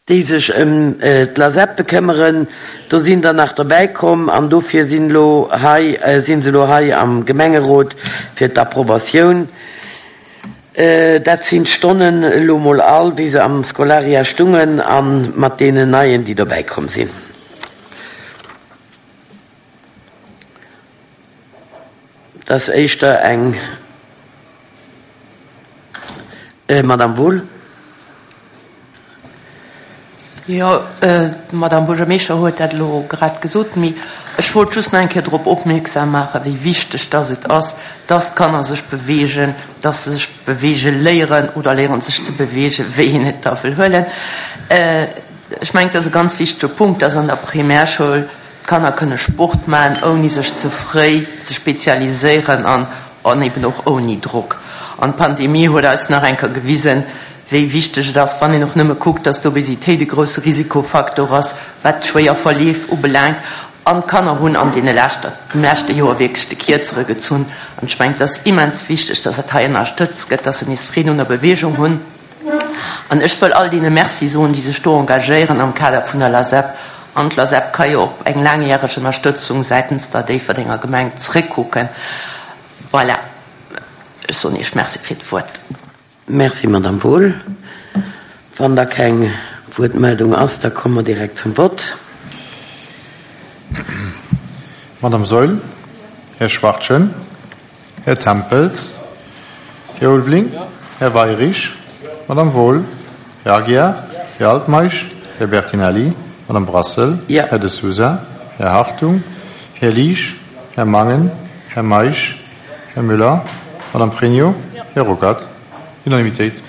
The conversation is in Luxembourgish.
Déi sech ëm d'LASEP bekëmmeren. Do sinn der nach derbäi komm an dofir sinn elo hei, si se elo hei am Gemengerot fir d'Approbatioun. Dat sinn d'Stonnen elo mol all, wéi se am Scolaria stungen a mat deenen neien, déi dobäi komm sinn. Et ass éischter eng Madame Wohl. Jo, d'Madame Buergermeeschter huet dat elo grad gesot, mee ech wollt just nach eng Kéier drop opmierksam maachen, wéi wichteg dass et ass, dass d'Kanner sech beweegen, dass se sech beweege léieren oder léieren sech ze beweegen, wéi een et da wëll huelen. Ech mengen, et ass e ganz wichtege Punkt, dass an der Primärschoul D'Kanner kënne Sport maachen, ouni sech ze fréi ze spezialiséieren an an eben och ouni Drock. An d'Pandemie huet eis nach eng Kéier gewisen, wéi wichteg et ass, wann een och nëmme kuckt, dass d'Obesitéit e grousse Risikofaktor ass, wat d'schwéier Verleef ubelaangt. An d'Kanner hunn an deene leschter, dem leschte Joer wierklech de Kierzere gezunn. An ech mengen, et ass immens wichteg, dass dat hei ënnerstëtzt gëtt, dass se nees Freed un der Beweegung hunn. An ech wëll all deene Merci soen, déi sech do engagéieren am Kader vun der LASEP. An d'LASEP ka jo op eng laangjäreg Ënnerstëtzung säitens der Déifferdenger Gemeng zréckkucken. Voilà, ech soen Iech Merci fir d'Wuert. Merci, Madamm Wohl. Wann da keng Wuertmeldung ass, da komme mer direkt zum Vott. Madamm Saeul, Här Schwachtgen, Här Tempels, Här Ulveling, Här Weirich, Madame Wohl, Här Aguiar, Här Altmeisch, Här Bertinelli, Madame Brassel, Här De Sousa, Här Hartung, Här Liesch, Här Mangen, Här Meisch, Här Müller, Madame Pregno, Här Ruckert. Unanimitéit.